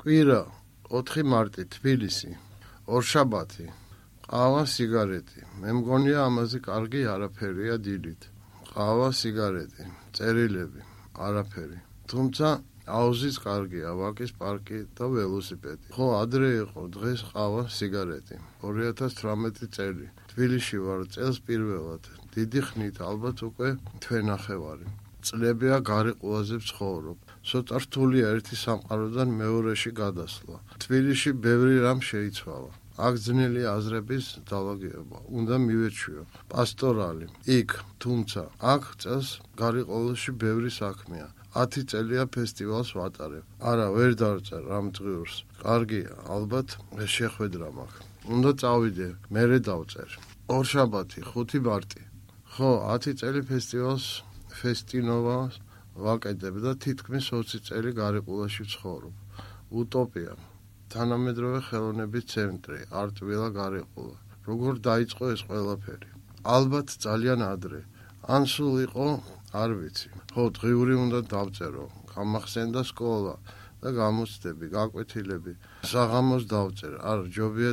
კვირა 4 მარტი თბილისი ორშაბათი ყავა სიგარეტი მე მგონია ამაზე კარგი არაფერია დილით ყავა სიგარეტი წერილები არაფერი თუმცა აუზიც კარგია ვაკის პარკი და ველოსიპედი ხო ადრე იყო დღეს ყავა სიგარეტი 2018 წელი თბილისში ვარ წელს პირველად დიდი ხნით ალბათ უკვე თვენახევარი წლებია გარიყულაზე ვცხოვრობ ცოტა რთულია ერთი სამყაროდან მეორეში გადასვლა თბილისში ბევრი რამ შეიცვალა აქ ძნელი აზრების დალაგება უნდა მივეჩვიო პასტორალი იქ თუმცა აქ წელს გარიყულში ბევრი საქმეა 10 წელია ფესტივალს ვატარებ არა ვერ დავწერ ამ დღიურს კარგია ალბათ შეხვედრა მაქვს უნდა წავიდე მერე დავწერ ორშაბათი 5 მარტი ხო 10 წელი ფესტივალს ფესტინოვას ვაკეთებ და თითქმის 20 წელი გარიყულაში ვცხოვრობ უტოპია თანამედროვე ხელოვნების ცენტრი არტვილა გარიყულა როგორ დაიწყო ეს ყველაფერი ალბათ ძალიან ადრე ან სულ იყო არ ვიცი ხო დღიური უნდა დავწერო გამახსენდა სკოლა და გამოცდები გაკვეთილები საღამოს დავწერ არ ჯობია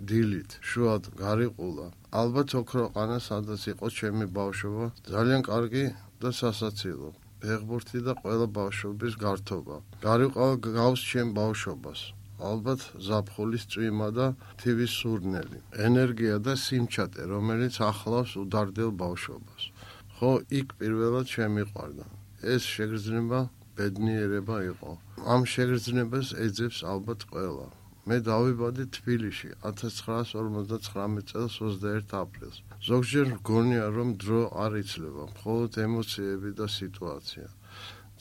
დილით შუად გარიყულა ალბათ ოქროყანა სადაც იყო ჩემი ბავშვობა ძალიან კარგი და სასაცილო ფეხბურთი და ყველა ბავშვობის გართობა გარიყავა გავს ჩემ ბავშვობას ალბათ ზაფხულის წვიმა და თივის სურნელი ენერგია და სიმჩატე რომელიც ახლავს უდარდელ ბავშვობას ხო იქ პირველად შემიყვარდა ეს შეგრძნება ბედნიერება იყო ამ შეგრძნებას ეძებს ალბათ ყველა მე დავიბადე თბილისში 1959 წელს 21 აპრილს ზოგჯერ მგონია რომ დრო არ იცლება მხოლოდ ემოციები და სიტუაცია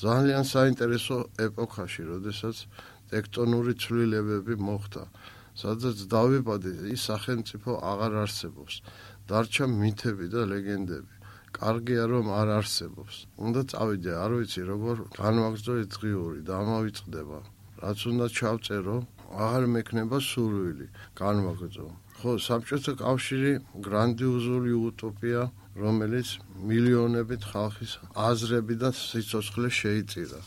ძალიან საინტერესო ეპოქაში როდესაც ტექტონური ცვლილებები მოხდა სადაც დავიბადე ის სახელმწიფო აღარ არსებობს დარჩა მითები და ლეგენდები კარგია რომ არ არსებობს უნდა წავიდე არ ვიცი როგორ განვაგრძო ეს დღიური და ამავიწყდება რაც უნდა ჩავწერო აღარ მექნება სურვილი განვაგრძო ხო საბჭოთა კავშირი გრანდიოზული უტოპია რომელიც მილიონობით ხალხის აზრები და სიცოცხლე შეიწირა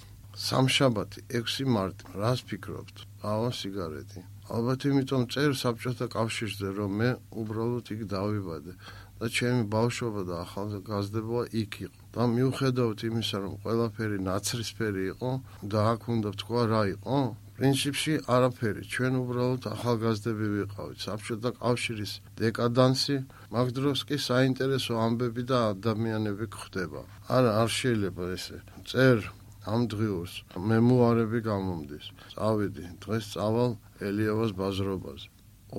სამშაბათი 6 მარტი რას ფიქრობთ ყავა სიგარეტი ალბათ იმიტომ წერ საბჭოთა კავშირზე რომ მე უბრალოდ იქ დავიბადე და ჩემი ბავშვობა და ახალგაზრდობა იქ იყო და მიუხედავად იმისა რომ ყველაფერი ნაცრისფერი იყო და აქ უნდა თქვა რა იყო პრინციპში არაფერი ჩვენ უბრალოდ ახალგაზრდები ვიყავით საბჭოთა კავშირის დეკადანსი მაგ დროს კი საინტერესო ამბები და ადამიანები გვხდება არა არ შეიძლება ესე წერ ამ დღიურს მემუარები გამომდის წავიდი დღეს წავალ ელიავას ბაზრობაზე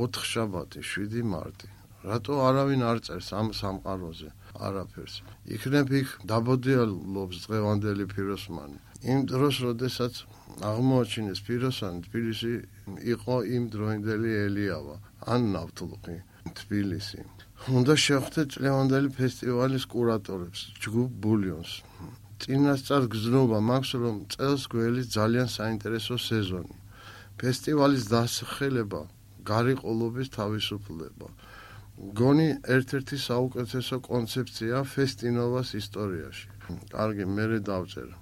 4 შაბათი 7 მარტი რატო არავინ არ წერს ამ სამყაროზე არაფერს იქნებ იქ დაბოდიალობს დღევანდელი ფიროსმანი იმ დროს როდესაც აღმოაჩინეს ფიროსანი თბილისი იყო იმ დროინდელი ელიავა ან ნავთლუღი თბილისი უნდა შევხვდეთ წლევანდელი ფესტივალის კურატორებს ჯგუფ ბულიონს წინასწარ გზნობა მაქვს რომ წელს გველი ძალიან საინტერესო სეზონი ფესტივალის დასახელება გარიყულობის თავისუფლება გონი ერთ-ერთი საუკეთესო კონცეფცია ფესტინოვას ისტორიაში კარგი მერე დავწერ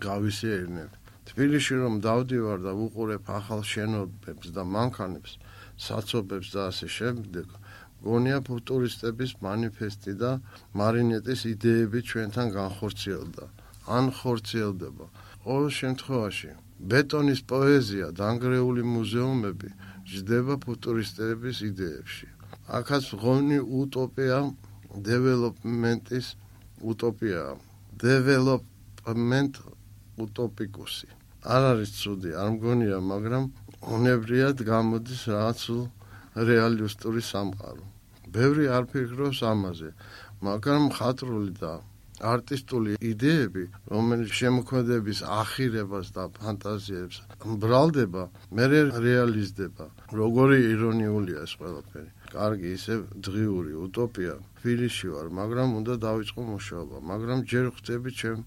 გავისეირნებ თბილისში რომ დავდივარ და ვუყურებ ახალ შენობებს და მანქანებს საცობებს და ასე შემდეგ გონია ფუტურისტების მანიფესტი და მარინეტის იდეები ჩვენთან განხორციელდა ან ხორციელდება ყოველ შემთხვევაში ბეტონის პოეზია დანგრეული მუზეუმები ჯდება ფუტურისტების იდეებში აქაც ღონი უტოპია დეველოპმენტის უტოპია დეველოპმენტ უტოპიკუსი არ არის ცუდი არ მგონია მაგრამ უნებრიად გამოდის რაღაც რეალისტური სამყარო ბევრი არ ფიქრობს ამაზე მაგრამ მხატვრული და არტისტული იდეები რომელიც შემოქმედების ახირებას და ფანტაზიებს მბრალდება მერე რეალიზდება როგორი ირონიულია ეს ყველაფერი კარგი ისე დღიური უტოპია თბილისში ვარ მაგრამ უნდა დავიწყო მუშაობა მაგრამ ჯერ ხვდები ჩემ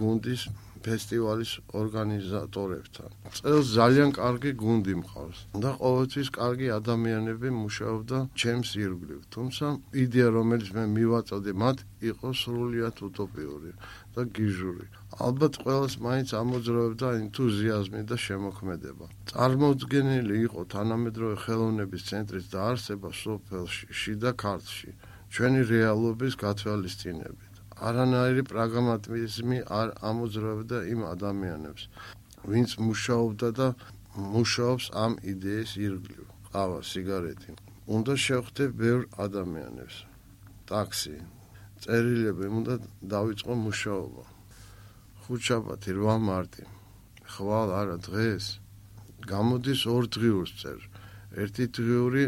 გუნდის ფესტივალის ორგანიზატორებთან. წელს ძალიან კარგი გუნდი მყავს და ყოველთვის კარგი ადამიანები მუშაობდა ჩემს ირგვლივ. თუმცა იდეა, რომელიც მე მივაწოდე მათ, იყო სრულიად უტოპიური და გიჟური. ალბათ ყველას მაინც ამოძრავებდა ენთუზიაზმი და შემოქმედება. წარმოუდგენელი იყო თანამედროვე ხელოვნების ცენტრის დაარსება სოფელში, შიდა ქართლში, ჩვენი რეალობის გათვალისწინებით. არანაირი პრაგმატიზმი არ ამოძრავებდა იმ ადამიანებს, ვინც მუშაობდა და მუშაობს ამ იდეის ირგვლივ. ყავა, სიგარეტი. უნდა შევხვდე ბევრ ადამიანებს. ტაქსი, წერილები, უნდა დავიწყო მუშაობა. ხუთშაბათი, 8 მარტი. ხვალ არა დღეს. გამოდის 2 დღიურს წერ. ერთი დღიური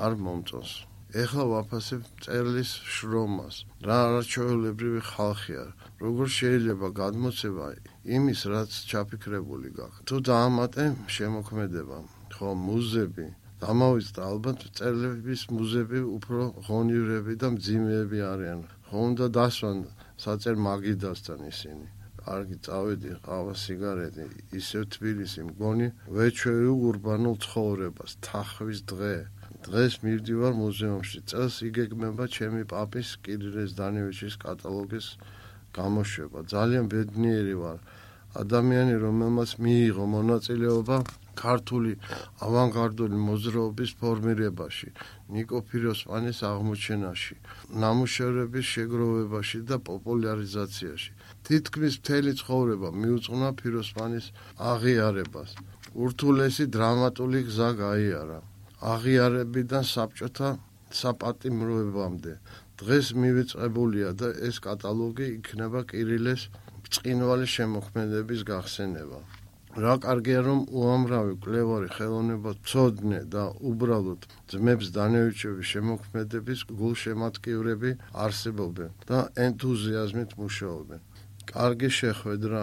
არ მომწონს. ეხლა ვაფასებ წერლის შრომას. რა არაჩვეულებრივი ხალხია. როგორ შეიძლება გადმოცემა იმის, რაც ჩაფიქრებული გაქვს. თუ დაამატე შემოქმედება, ხო, მუზები, დამავიწყდა ალბათ წერლების მუზები უფრო ღონივრები და მძიმეები არიან. ხო, უნდა დასვან საწერ მაგიდასთან ისინი. კარგი, წავედი, ყავა, სიგარეტი, ისევ თბილისი მგონი ვეჩვევი ურბანულ ცხოვრებას, თახვის დღე. დღეს მივდივარ მუზეუმში. წელს იგეგმება ჩემი პაპის კირილ ზდანევიჩის კატალოგის გამოშვება. ძალიან ბედნიერი ვარ. ადამიანი, რომელმაც მიიღო მონაწილეობა ქართული ავანგარდული მოძრაობის ფორმირებაში, ნიკო ფიროსმანის აღმოჩენაში, ნამუშევრების შეგროვებაში და პოპულარიზაციაში. თითქმის მთელი ცხოვრება მიუძღვნა ფიროსმანის აღიარებას. ურთულესი დრამატული გზა გაიარა. აღიარებიდან საბჭოთა საპატიმროებამდე. დღეს მივიწყებულია და ეს კატალოგი იქნება კირილეს ბრწყინვალე შემოქმედების გახსენება. რა კარგია, რომ უამრავი მკვლევარი ხელოვნებაცოდნე და უბრალოდ ძმებს დანევიჩების შემოქმედების გულშემატკივრები არსებობენ და ენთუზიაზმით მუშაობენ. კარგი შეხვედრა.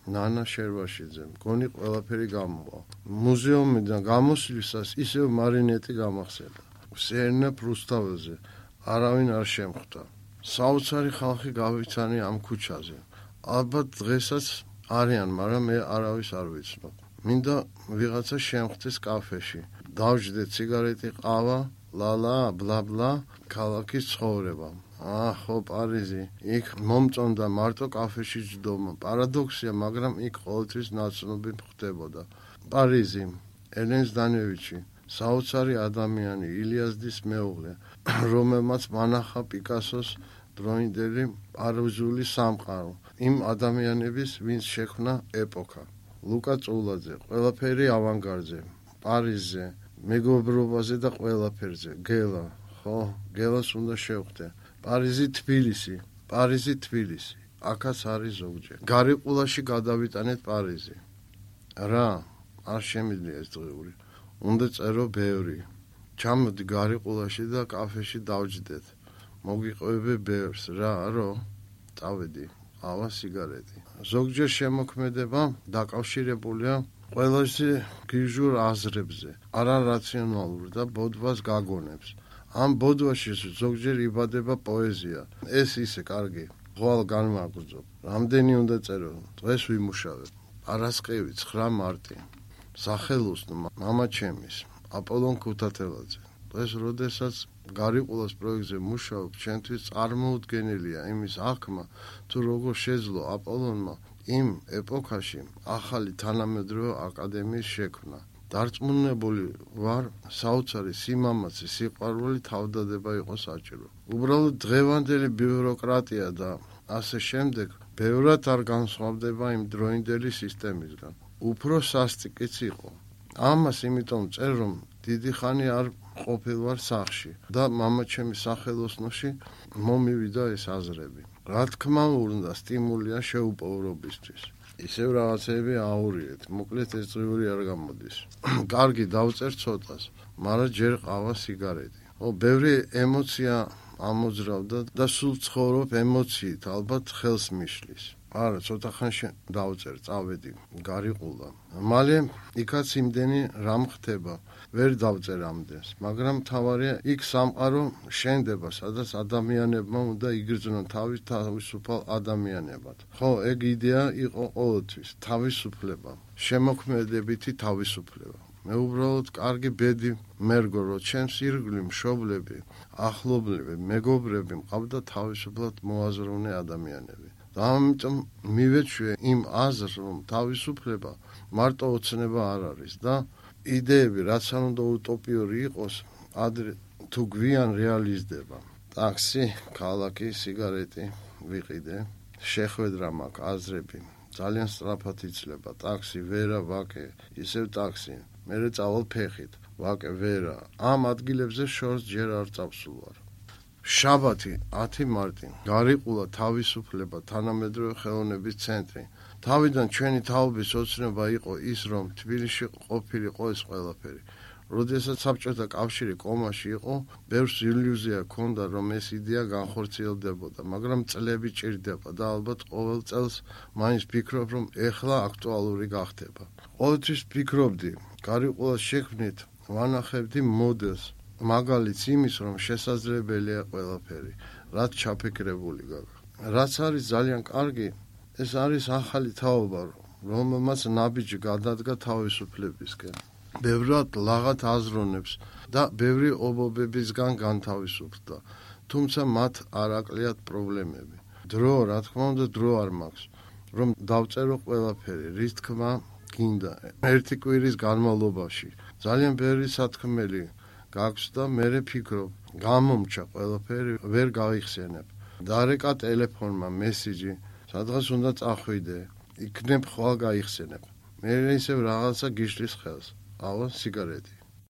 ნანა შერვაშიძე, მგონი ყველაფერი გამოვა. მუზეუმიდან გამოსვლისას ისევ მარინეტი გამახსენდა. სერნა პრუსტაველზე არავინ არ შემხვდა. საოცარი ხალხი გავიცანი ამ ქუჩაზე. ალბათ დღესაც არიან, მაგრამ მე არავის არ ვიცნობ. მინდა ვიღაცა შემხვდეს კაფეში. დავჯდეთ სიგარეტი, ყავა, ლალა, ბლა-ბლა, ქალაქის ცხოვრება. ხო, პარიზი. იქ მომწონდა მარტო კაფეში ჯდომა. პარადოქსია, მაგრამ იქ ყოველთვის ნაცნობი ხდებოდა. პარიზი, ელენ ზდანევიჩი, საოცარი ადამიანი, ილიაზდის მეუღლე, რომელმაც მანახა პიკასოს დროინდელი პარიზული სამყარო. იმ ადამიანების, ვინც შექმნა ეპოქა. ლუკა წულაძე, ყველაფერი ავანგარდზე, პარიზზე, მეგობრობაზე და ყველაფერზე. გელა, ხო, გელას უნდა შევხვდე. პარიზი, თბილისი, პარიზი, თბილისი. აქაც არის ზოგჯერ. გარიყულაში გადავიტანეთ პარიზი. რა, არ შემიძლია ეს დღიური. უნდა წერო ბევრი. ჩამოდი გარიყულაში და კაფეში დავჯდეთ. მოგიყვები ბევრს, რა, წავედი. ყავა, სიგარეტი. ზოგჯერ შემოქმედება დაკავშირებულია ყველაზე გიჟურ აზრებზე, არარაციონალურ და ბოდვას გაგონებს. ამ ბოდვაში ზოგჯერ იბადება პოეზია. ეს ისე კარგი. ღვალ განმაგრძობ. რამდენი უნდა წერო? დღეს ვიმუშავებ. პარასკევი, 9 მარტი. სახელოსნო მამა ჩემის, აპოლონ ქუთათელაძე. დღეს, როდესაც გარიყულას პროექტზე მუშაობ, ჩემთვის წარმოუდგენელია იმის აღქმა, თუ როგორ შეძლო აპოლონმა იმ ეპოქაში ახალი თანამედროვე აკადემიის შექმნა. დარწმუნებული ვარ, საოცარი სიმამაცე, სიყვარული თავდადება იყო საჭირო. უბრალოდ დღევანდელი ბიუროკრატია და ასე შემდეგ ბევრად არ განსხვავდება იმ დროინდელი სისტემისგან. უფრო სასტიკიც იყო. ამას იმიტომ წერ, რომ დიდი ხანი არ ყოფილვარ სახლში და მამაჩემის სახელოსნოში მომივიდა ეს აზრები. რა თქმა უნდა, სტიმულია შეუპოვრობისთვის. ისევ რაღაცები აურიეთ, მოკლედ ეს დღიური არ გამოდის. კარგი, დავწერ ცოტას, მაგრამ ჯერ ყავა, სიგარეტი. ბევრი ემოცია ამოძრავდა და სულ ცხოვრობ ემოციით, ალბათ ხელს მიშლის. არა, ცოტა ხანში დავწერ, წავედი, გარიყულა. მალე იქაც იმდენი რამ ხდება, ვერ დავწერ ამდენს, მაგრამ თავარია იქ სამყარო შენდება, სადაც ადამიანებმა უნდა იგრძნონ თავისუფალ ადამიანებად. ხო, ეგ იდეა იყო ყოველთვის, თავისუფლება, შემოქმედებითი თავისუფლება. მე უბრალოდ კარგი ბედი მერგო, რომ ჩემს ირგვლივ მშობლები, ახლობლები, მეგობრები მყავდა თავისუფლად მოაზროვნე ადამიანები. და ამიტომ მივეჩვე იმ აზრს, რომ თავისუფლება მარტო ოცნება არ არის და იდეები, რაც არ უნდა უტოპიური იყოს, ადრე თუ გვიან რეალიზდება. ტაქსი, ქალაქი, სიგარეტი ვიყიდე, შეხვედრა მაქვს, აზრები, ძალიან სწრაფად იცლება. ტაქსი, ვერა, ვაკე, ისევ ტაქსი, მერე წავალ ფეხით, ვაკე, ვერა. ამ ადგილებზე შორს ჯერ არ წავსულ. შაბათი 10 მარტი გარიყულა თავისუფლება თანამედროვე ხელოვნების ცენტრი. თავიდან ჩვენი თაობის ოცნება იყო ის, რომ თბილისში ყოფილიყო ეს ყველაფერი. როდესაც საბჭოთა კავშირი კომაში იყო, ბევრს ილუზია ჰქონდა, რომ ეს იდეა განხორციელდებოდა, მაგრამ წლები ჭირდება და ალბათ ყოველ წელს მაინც ვფიქრობ, რომ ეხლა აქტუალური გახდება. ყოველთვის ვფიქრობდი, გარიყულას შექმნით ვანახებდი მოდელს, მაგალითს იმის, რომ შესაძლებელია ყველაფერი, რაც ჩაფიქრებული გაქვს. რაც არის ძალიან კარგი, ეს არის ახალი თაობა, რომელმაც ნაბიჯი გადადგა თავისუფლებისკენ. ბევრად ლაღად აზროვნებს და ბევრი ობობებისგან განთავისუფლდა, თუმცა მათ არ აკლიათ პრობლემები. დრო, რა თქმა უნდა, დრო არ მაქვს, რომ დავწერო ყველაფერი, რის თქმა გინდა. ერთი კვირის განმავლობაში ძალიან ბევრი სათქმელი გაქვს და მე ფიქრობ, გამომჩა ყველაფერი, ვერ გავიხსენებ. დარეკა ტელეფონმა მესიჯი, სადღაც უნდა წახვიდე, იქნებ ხვალ გაიხსენებ. მე ისევ რაღაცა გიშლის ხელს. ავა, სიგარეტი.